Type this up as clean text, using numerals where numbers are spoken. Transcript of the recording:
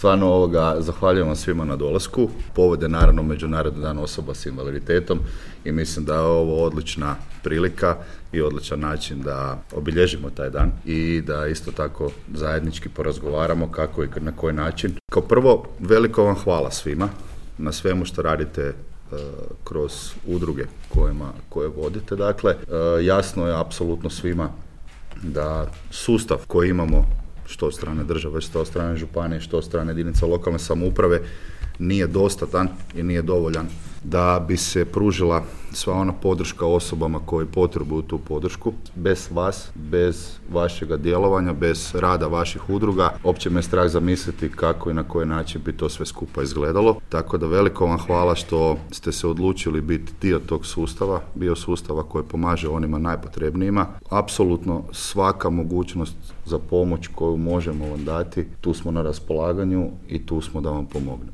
Stvarno zahvaljujem vam svima na dolasku. Povod je naravno Međunarodni dan osoba s invaliditetom i mislim da je ovo odlična prilika i odličan način da obilježimo taj dan i da isto tako zajednički porazgovaramo kako i na koji način. Kao prvo, veliko vam hvala svima na svemu što radite kroz udruge koje vodite. Dakle, jasno je apsolutno svima da sustav koji imamo što od strane države, što od strane županije, što od strane jedinica lokalne samouprave nije dostatan i nije dovoljan da bi se pružila sva ona podrška osobama koji potrebuju tu podršku. Bez vas, bez vašega djelovanja, bez rada vaših udruga, uopće me strah zamisliti kako i na koji način bi to sve skupa izgledalo. Tako da veliko vam hvala što ste se odlučili biti dio tog sustava, bio sustava koji pomaže onima najpotrebnijima. Apsolutno svaka mogućnost za pomoć koju možemo vam dati, tu smo na raspolaganju i tu smo da vam pomognemo.